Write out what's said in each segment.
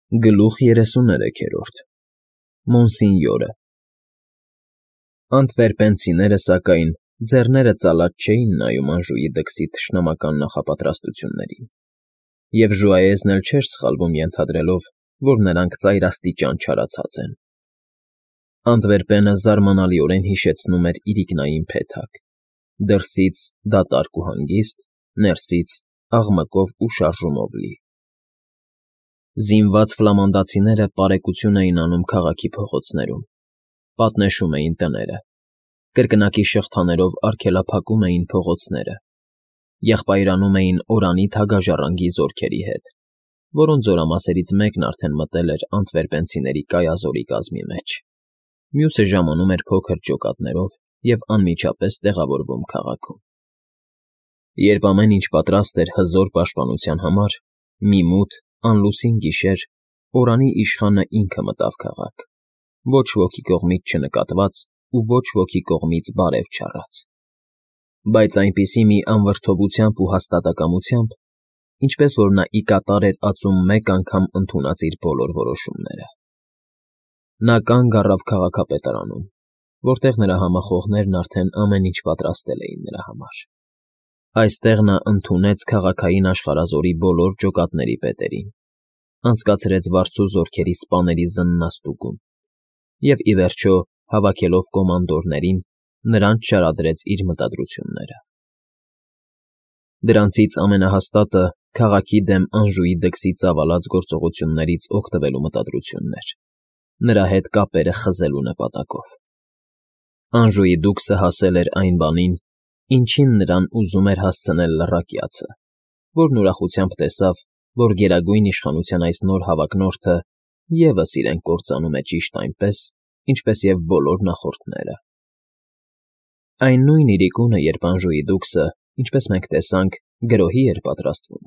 Գլուխ 33 Մոնսինյորը Անտվերպենցիները, սակայն, ձեռները ծալած չէին նայում Անժուի դքսի թշնամական նախապատրաստություններին, և Ժուայեզն էլ չէր սխալվում ենթադրելով, որ նրանք ծայրաստիճան չարացած են. Անտվերպենը զարմանալիորեն հիշեցնում էր իրիկնային փեթակ, դրսից դատարկ ու հանգիստ, ներսից աղմկով ու շարժումով լի։ Զինված ֆլամանդացիները պարեկություն էին անում քաղաքի փողոցներում, պատնեշում էին տները, կրկնակի շղթաներով արգելափակում էին փողոցները, եղբայրանում էին օրանի թագաժառանգի զորքերի հետ, որոնց զորամասերից մեկն արդեն մտել էր անտվերպենցիների կայազորի կազմի մեջ, մյուսը ժամանում էր փոքր ջոկատներով և անմիջապես տեղավորվում քաղաքում։ Երբ ամեն ինչ պատրաստ էր հզոր պաշտպանության համար, մի մութ, անլուսին գիշեր օրանի իշխանը ինքը մտավ քաղաք, ոչ ոքի կողմից չնկատված ու ոչ ոքի կողմից բարև չառած, բայց այնպիսի մի անվրդովությամբ ու հաստատակամությամբ, ինչպես որ նա ի կատար էր ածում մեկ անգամ ընդունած իր բոլոր որոշումները։ Նա կանգ առավ քաղաքապետարանում, որտեղ նրա համախոհներն արդեն ամեն ինչ պատրաստել էին նրա համար։ Այստեղ նա ընդունեց քաղաքային աշխարհազորի բոլոր ջոկատների պետերին, անցկացրեց վարձու զորքերի սպաների զննաստուգում և, ի վերջո, հավաքելով կոմանդորներին, նրանց շարադրեց իր մտադրությունները։ Դրանցից ամենահաստատը քաղաքի դեմ Անժուի դքսի ծավալած գործողություններից օգտվելու մտադրությունն էր, նրա հետ կապերը խզելու նպատակով։ Անժուի դուքսը հասել էր այն բանին, ինչին նրան ուզում էր հասցնել լռակյացը, որն ուրախությամբ տեսավ, որ գերագույն իշխանության այս նոր հավակնորդը ևս իրեն կործանում է ճիշտ այնպես, ինչպես և բոլոր նախորդները։ Այն նույն իրիկունը, երբ Անժուի դուքսը, ինչպես մենք տեսանք, գրոհի էր պատրաստվում,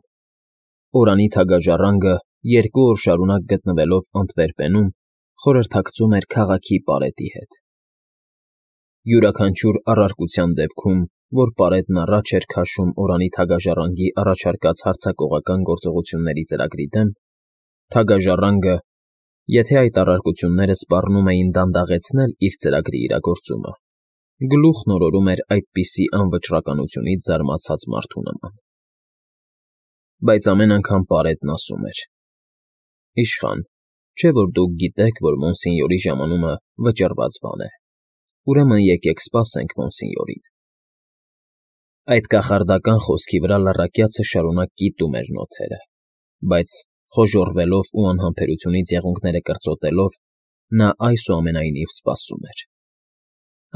օրանի թագաժառանգը 2 օր շարունակ գտնվելով Անտվերպենում, խորհրդակցում էր քաղաքի պարետի հետ։ Յուրաքանչյուր առարկության դեպքում, որ պարետն առաջ էր քաշում օրանի թագաժառանգի առաջարկած հարձակողական գործողությունների ծրագրի դեմ, թագաժառանգը, եթե այդ առարկությունները սպառնում էին դանդաղեցնել իր ծրագրի իրագործումը, գլուխ նորորում էր այդպիսի անվճռականությունից զարմացած մարդու նման։ Բայց ամեն անգամ պարետն ասում էր. «Իշխան, չէ՞ որ դուք գիտեք, որ Մոնսինյորի ժամանումը վճռված բան է, ուրեմն եկեք սպասենք Մոնսինյորին»։ Այդ կախարդական խոսքի վրա լռակյացը շարունակ կիտում էր նոթերը, բայց, խոժոռվելով ու անհամբերությունից եղունգները կրծոտելով, նա այսուամենայնիվ սպասում էր։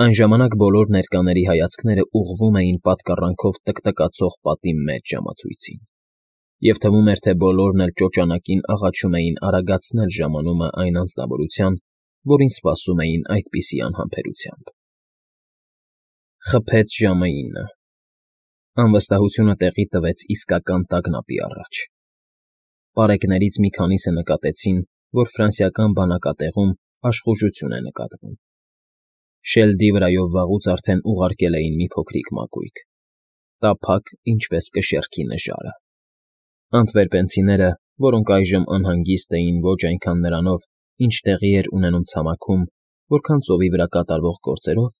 Այն ժամանակ բոլոր ներկաների հայացքները ուղղվում էին պատկառանքով տկտկացող պատի մեջ ժամացույցին, և թվում էր, թե բոլորն էլ ճոճանակին աղաչում էին արագացնել ժամանումը այն անձնավորության, որին սպասում էին այդպիսի անհամբերությամբ։ Խփեց ժամը 9. Անվստահությունը տեղի տվեց իսկական տագնապի առաջ։ Պարեկներից մի քանիսը նկատեցին, որ ֆրանսիական բանակատեղում աշխուժություն է նկատվում։ Շելդի վրայով վաղուց արդեն ուղարկել էին մի փոքրիկ մակույկ, տափակ, ինչպես կշեռքի նժարը։ Անտվերպենցիները, որոնք այժմ անհանգիստ էին ոչ այնքան նրանով, ինչ տեղի էր ունենում ցամաքում, որքան ծովի վրա կատարվող գործերով,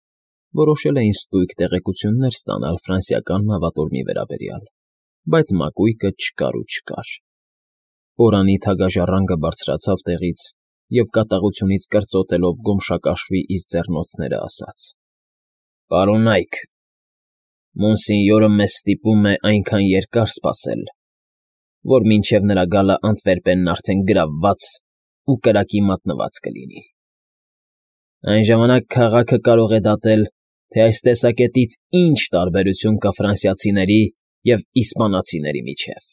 որոշել էին ստույգ տեղեկություններ ստանալ ֆրանսիական նավատորմի վերաբերյալ, բայց մակույկը չկար ու չկար։ Օրանի թագաժառանգը բարձրացավ տեղից և կատաղությունից կրծոտելով գոմշակաշվի իր ձեռնոցները ասաց. «Պարոնա՛յք, Մոնսինյորը մեզ ստիպում է այնքան երկար սպասել, որ մինչև նրա գալը Անտվերպենն արդեն գրավված ու կրակի մատնված կլինի։ Այն ժամանակ քաղաքը կարող է դատել, թե այս տեսակետից ինչ տարբերություն կա ֆրանսիացիների և իսպանացիների միջև»։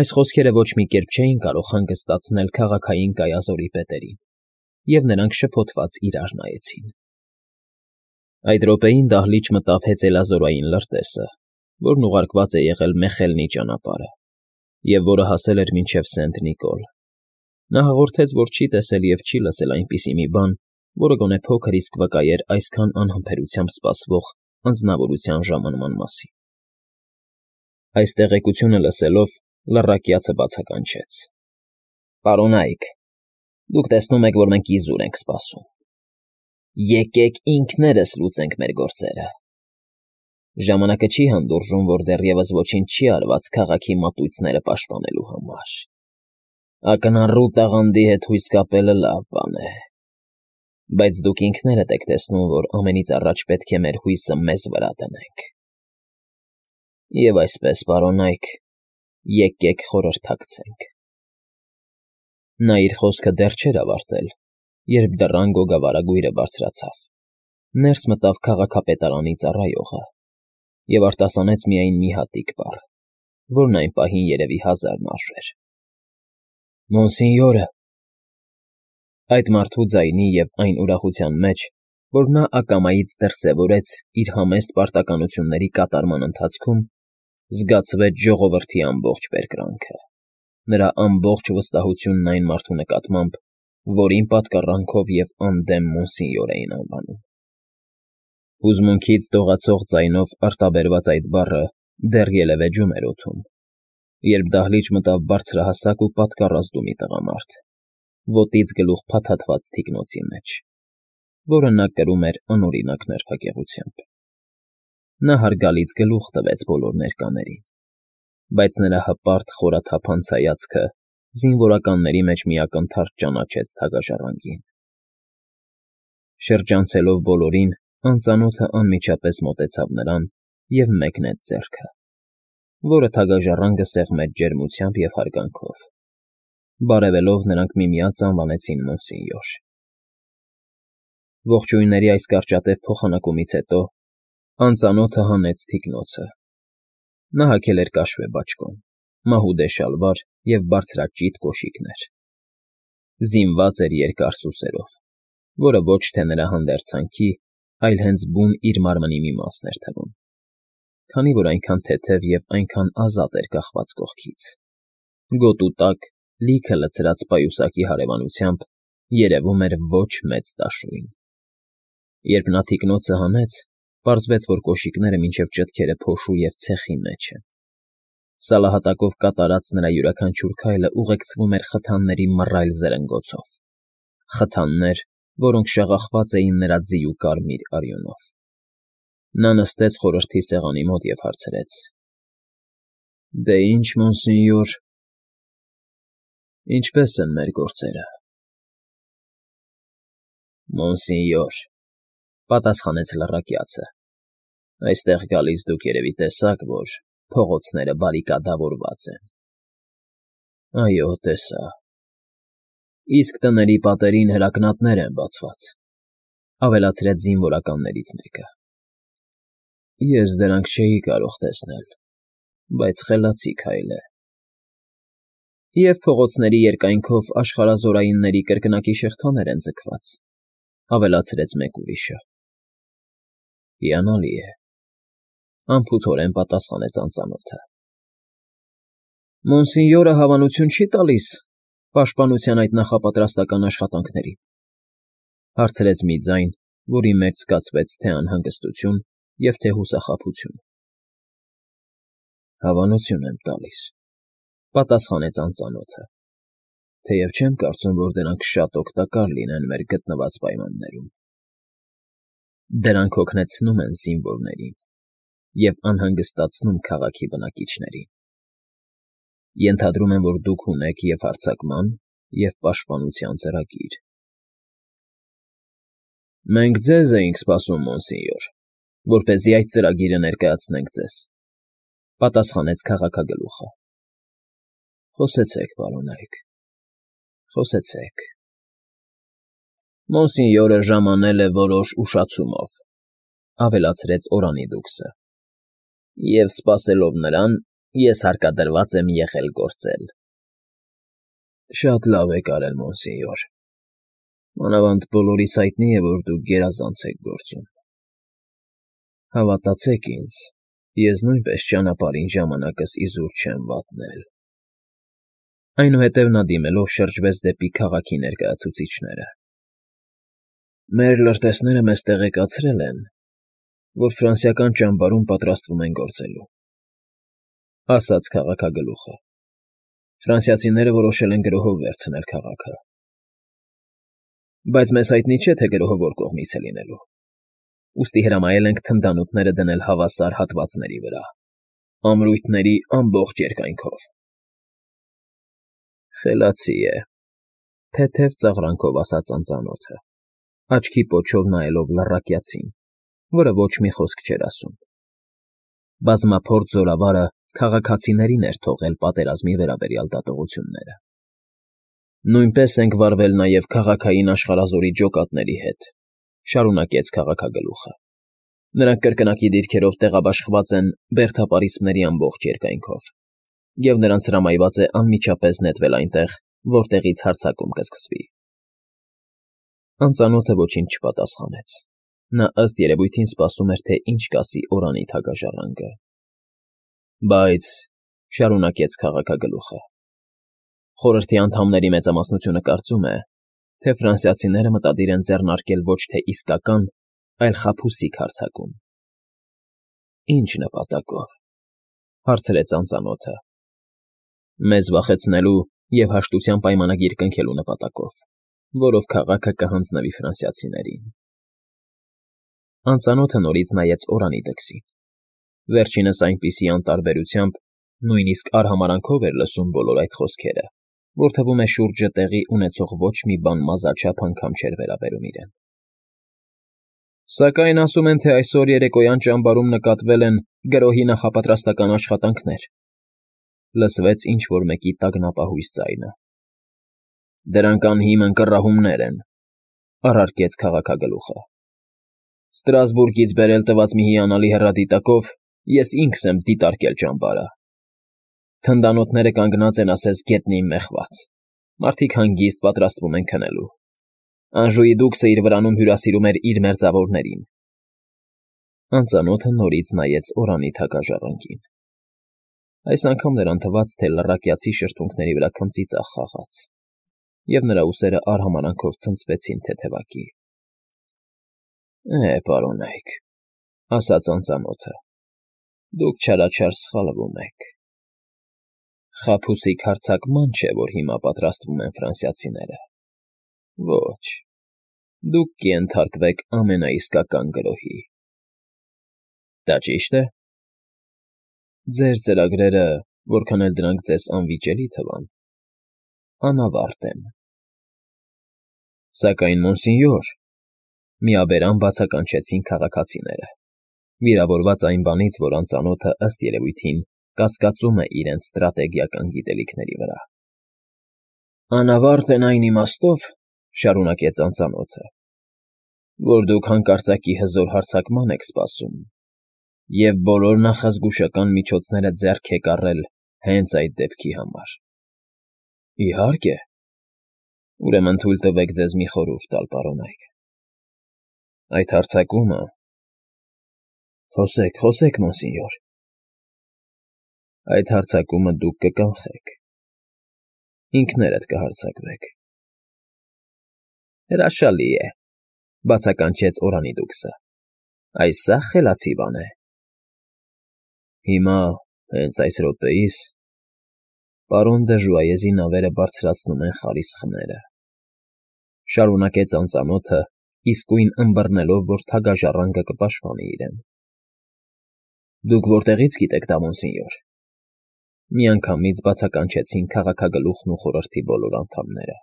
Այս խոսքերը ոչ մի կերպ չէին կարող հանգստացնել քաղաքային կայազորի պետերին, և նրանք շփոթված իրար նայեցին։ Այդ րոպեին դահլիճ մտավ հեծելազորային լրտեսը, որն ուղարկված է եղել Մեխելնի ճանապարհը, և որը հասել էր մինչև Սենտ֊Նիկոլ։ Նա հաղորդեց, որ չի տեսել և չի լսել այնպիսի մի բան, որը գոնե փոքր իսկ վկայեր այսքան անհամբերությամբ սպասվող անձնավորության ժամանման մասին։ Այս տեղեկությունը լսելով, լռակյացը բացականչեց. Պարոնայք, դուք տեսնում եք, որ մենք իզուր ենք սպասում։ Եկեք ինքներս լուծենք մեր գործերը։ Ժամանակը չի հանդուրժում, որ դեռևս ոչինչ չի արված քաղաքի մատույցները պաշտպանելու համար։ Ակնառու տաղանդի հետ հույս կապելը լավ բան է, բայց դուք ինքներդ եք տեսնում, որ ամենից առաջ պետք է մեր հույսը մեզ վրա դնենք։ Եվ այսպես, պարոնայք, եկեք խորհրդակցենք։ Նա իր խոսքը դեռ չէր ավարտել, երբ դռան գոգավարագույրը բարձրացավ, ներս մտավ քաղաքապետարանի ծառայողը և արտասանեց միայն մի հատիկ բառ, որն այն պահին երևի 1000 մարժ էր։ Մոնսինյորը… Այդ մարդու ձայնի և այն ուրախության մեջ, որ նա ակամայից դրսևորեց իր համեստ պարտականությունների կատարման ընթացքում, զգացվեց ժողովրդի ամբողջ բերկրանքը, նրա ամբողջ վստահությունն այն մարդու նկատմամբ, որին պատկառանքով և անդեմ մոնսինյոր էին անվանում։ Հուզմունքից դողացող ձայնով արտաբերված այդ բառը դեռ ելևէջում էր օդում, երբ դահլիճ մտավ բարձրահասակ ու պատկառազդու մի տղամարդ, ոտից գլուխ փաթաթված թիկնոցի մեջ, որը նա կրում էր անօրինակ նրբագեղությամբ։ Նա հարգալից գլուխ տվեց բոլոր ներկաներին, բայց նրա հպարտ խորաթափանց հայացքը զինվորականների մեջ մի ակնթարթ ճանաչեց թագաժառանգին։ Շրջանցելով բոլորին, անծանոթը անմիջապես մոտեցավ նրան և մեկնեց ձեռքը, որը թագաժառանգը սեղմեց ջերմությամբ և հարգանքով։ Բարևելով նրանք միմյանց անվանեցին մոնսինյոր։ Ողջույնների այս կարճատև փոխանակումից հետո անծանոթը հանեց թիկնոցը։ Նա հագել էր կաշվե բաճկոն, մահուդե շալվար և բարձրաճիտ կոշիկներ։ Զինված էր երկար սուսերով, որը ոչ թե նրա հանդերձանքի, այլ հենց բուն իր մարմնի մի մասն էր թվում, քանի որ այնքան թեթև և այնքան ազատ էր կախված կողքից։ Գոտու տակ, լիքը լցրած պայուսակի հարևանությամբ, երևում էր ոչ մեծ դաշույն։ Երբ նա թիկնոցը հանեց, պարզվեց, որ կոշիկները մինչև ճտքերը փոշու և ցեխի մեջ են։ Սալահատակով կատարած նրա յուրաքանչյուր քայլը ուղեկցվում էր խթանների մռայլ զրնգոցով, խթաններ, որոնք շաղախված էին նրա ձիու կարմիր արյունով։ Նա նստեց խորհրդի սեղանի մոտ և հարցրեց. Դե ինչ, մոնսինյոր, ինչպե՞ս են մեր գործերը։ Մոնսինյոր, պատասխանեց լռակյացը, այստեղ գալիս դուք երևի տեսաք, որ փողոցները բարիկադավորված են։ Այո, տեսա։ Իսկ տների պատերին հրակնատներ են բացված, ավելացրեց զինվորականներից մեկը։ Ես դրանք չէի կարող տեսնել, բայց խելացի քայլ է։ Եվ փողոցների երկայնքով աշխարհազորայինների կրկնակի շղթաներ են ձգված, ավելացրեց մեկ ուրիշը։ Հիանալի է, անփութորեն պատասխանեց անծանոթը։ Մոնսինյորը հավանություն չի տալիս պաշտպանության այդ նախապատրաստական աշխատանքներին, հարցրեց մի ձայն, որի մեջ զգացվեց թե անհանգստություն և թե հուսախաբություն։ Հավանություն եմ տալիս, պատասխանեց անծանոթը, թեև չեմ կարծում, որ դրանք շատ օգտակար լինեն մեր գտնված պայմաններում։ Դրանք հոգնեցնում են զինվորներին և անհանգստացնում քաղաքի բնակիչներին։ Ենթադրում եմ, որ դուք ունեք և հարձակման, և պաշտպանության ծրագիր։ Մենք ձեզ էինք սպասում, մոնսինյոր, որպեսզի այդ ծրագիրը ներկայացնենք ձեզ, պատասխանեց քաղաքագլուխը։ Խոսեցեք, պարոնայք, խոսեցեք։ Մոնսինյորը ժամանել է որոշ ուշացումով, ավելացրեց Օրանիդուքսը, և սպասելով նրան, ես հարկադրված եմ եղել գործել։ Շատ լավ եք արել, մոնսինյոր։ Մանավանդ բոլորիս հայտնի է, որ դուք գերազանց եք գործում։ Հավատացեք ինձ, ես նույնպես ճանապարհին ժամանակս իզուր չեմ վատնել։ Այնուհետև նա դիմելով շրջվեց դեպի քաղաքի ներկայացուցիչները։ Մեր լրտեսները մեզ տեղեկացրել են, որ ֆրանսիական ճամբարում պատրաստվում են գործելու, ասաց քաղաքագլուխը։ Ֆրանսիացիները որոշել են գրոհով վերցնել քաղաքը։ Բայց մեզ հայտնի չէ, թե գրոհը որ կողմից է լինելու։ Ուստի հրամայել ենք թնդանոթները դնել հավասար հատվածների վրա, ամրույթների ամբողջ երկայնքով։ Խելացի է, թեթև ծաղրանքով ասաց անծանոթը, աչքի պոչով նայելով լռակյացին, որը ոչ մի խոսք չէր ասում։ Բազմափորձ զորավարը քաղաքացիներին էր թողել պատերազմի վերաբերյալ դատողությունները։ Նույնպես ենք վարվել նաև քաղաքային աշխարհազորի ջոկատների հետ, շարունակեց քաղաքագլուխը։ Նրանք կրկնակի դիրքերով տեղաբաշխված են բերդապարիսպների ամբողջ երկայնքով, և նրանց հրամայված է անմիջապես նետվել այնտեղ, որտեղից հարձակում կսկսվի։ Անծանոթը ոչինչ չպատասխանեց։ Նա ըստ երևույթին սպասում էր, թե ինչ կասի օրանի թագաժառանգը։ Բայց, շարունակեց քաղաքագլուխը, խորհրդի անդամների մեծամասնությունը կարծում է, թե ֆրանսիացիները մտադիր են ձեռնարկել ոչ թե իսկական, այլ խաբուսիկ հարձակում։ Ինչ նպատակով, հարցրեց անծանոթը։ Մեզ վախեցնելու և հաշտության պայմանագիր կնքելու նպատակով, որով քաղաքը կհանձնվի ֆրանսիացիներին։ Անծանոթը նորից նայեց օրանի դքսին։ Վերջինս այնպիսի անտարբերությամբ, նույնիսկ արհամարանքով էր լսում բոլոր այդ խոսքերը, որ թվում է շուրջը տեղի ունեցող ոչ մի բան մազաչափ անգամ չէր վերաբերում իրեն։ Սակայն ասում են, թե այսօր երեկոյան ճամբարում նկատվել են գրոհի նախապատրաստական աշխատանքներ, լսվեց ինչ-որ մեկի տագնապահույս ձայնը։ Դրանք անհիմն կռահումներ են, առարկեց քաղաքագլուխը։ Ստրասբուրգից բերել տված մի հիանալի հեռադիտակով ես ինքս եմ դիտարկել ճամբարը։ Թնդանոթները կանգնած են ասես գետնին մեխված, մարդիկ հանգիստ պատրաստվում են քնելու։ Անժուի դուքսը իր վրանում հյուրասիրում էր իր մերձավորներին։ Անծանոթը նորից նայեց օրանի թագաժառանգին։ Այս անգամ նրան թվաց, թե լռակյացի շրթունքների վրա քմծիծաղ խաղաց, և նրա ուսերը արհամարանքով ցնցվեցին թեթևակի։ Պարոնայք, ասաց անծանոթը, դուք չարաչար սխալվում եք։ Խաբուսիկ հարձակման չէ, որ հիմա պատրաստվում են ֆրանսիացիները։ Ոչ, դուք կենթարկվեք ամենաիսկական գրոհի։ Դա ճի՞շտ է։ Ձեր ծրագրերը, որքան էլ դրանք ձեզ անվիճելի թվան, անավարտ են։ Սակայն, մոնսինյոր, միաբերան բացականչեցին քաղաքացիները, վիրավորված այն բանից, որ անծանոթը ըստ երևույթին կասկածում է իրենց ստրատեգիական գիտելիքների վրա։ Անավարտ են այն իմաստով, շարունակեց անծանոթը, որ դուք հանկարծակի հզոր հարձակման եք սպասում, և բոլոր նախազգուշական միջոցները ձեռք եք առել հենց այդ դեպքի համար։ Իհարկե։ Ուրեմն թույլ տվեք ձեզ մի խորհուրդ տալ, պարոնայք։ Այդ հարձակումը… Խոսեք, մոնսինյոր։ Այդ հարձակումը դուք կկանխեք։ Ինքներդ կհարձակվեք։ Հրաշալի է, բացականչեց օրանի դուքսը։ Այս սա խելացի բան է։ Հիմա, հենց այս րոպեիս, պարոն դը Ժուայեզի նավերը բարձրացնում են խարիսխները, շարունակեց անծանոթը, իսկույն ըմբռնելով, որ թագաժառանգը կպաշտպանի իրեն։ Դուք որտեղի՞ց գիտեք դա, մոնսինյոր։ Միանգամից բացականչեցին քաղաքագլուխն ու խորհրդի բոլոր անդամները։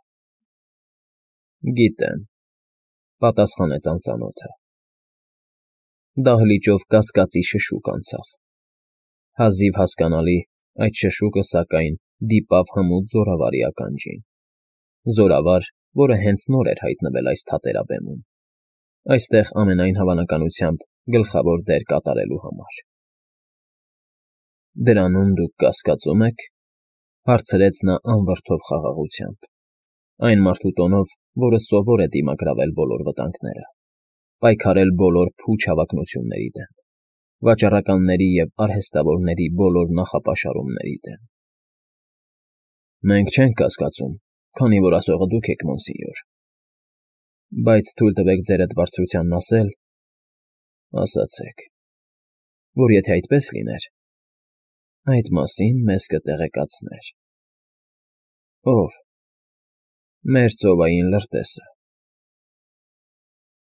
Գիտեմ, պատասխանեց անծանոթը։ Դահլիճով կասկածի շշուկ անցավ։ Հազիվ հասկանալի, այդ շշուկը, սակայն, դիպավ հմուտ զորավարի ականջին։ Զորավար, որը հենց նոր էր հայտնվել այս թատերաբեմում, այստեղ ամենայն հավանականությամբ գլխավոր դեր կատարելու համար։ Դրանում դուք կասկածում եք, հարցրեց նա անվրդով խաղաղությամբ, այն մարդու տոնով, որը սովոր է դիմագրավել բոլոր վտանգները, պայքարել բոլոր փուչ հավակնությունների դեմ, վաճառականների և արհեստավորների բոլոր նախապաշարումների դեմ։ Մենք չենք կասկածում, քանի որ ասողը դուք եք, մոնսինյոր։ Բայց թույլ տվեք ձերդ բարձրությանն ասացեք, որ եթե այդպես լիներ, այդ մասին մեզ կտեղեկացներ։ Ո՞վ։ Մեր ծովային լրտեսը։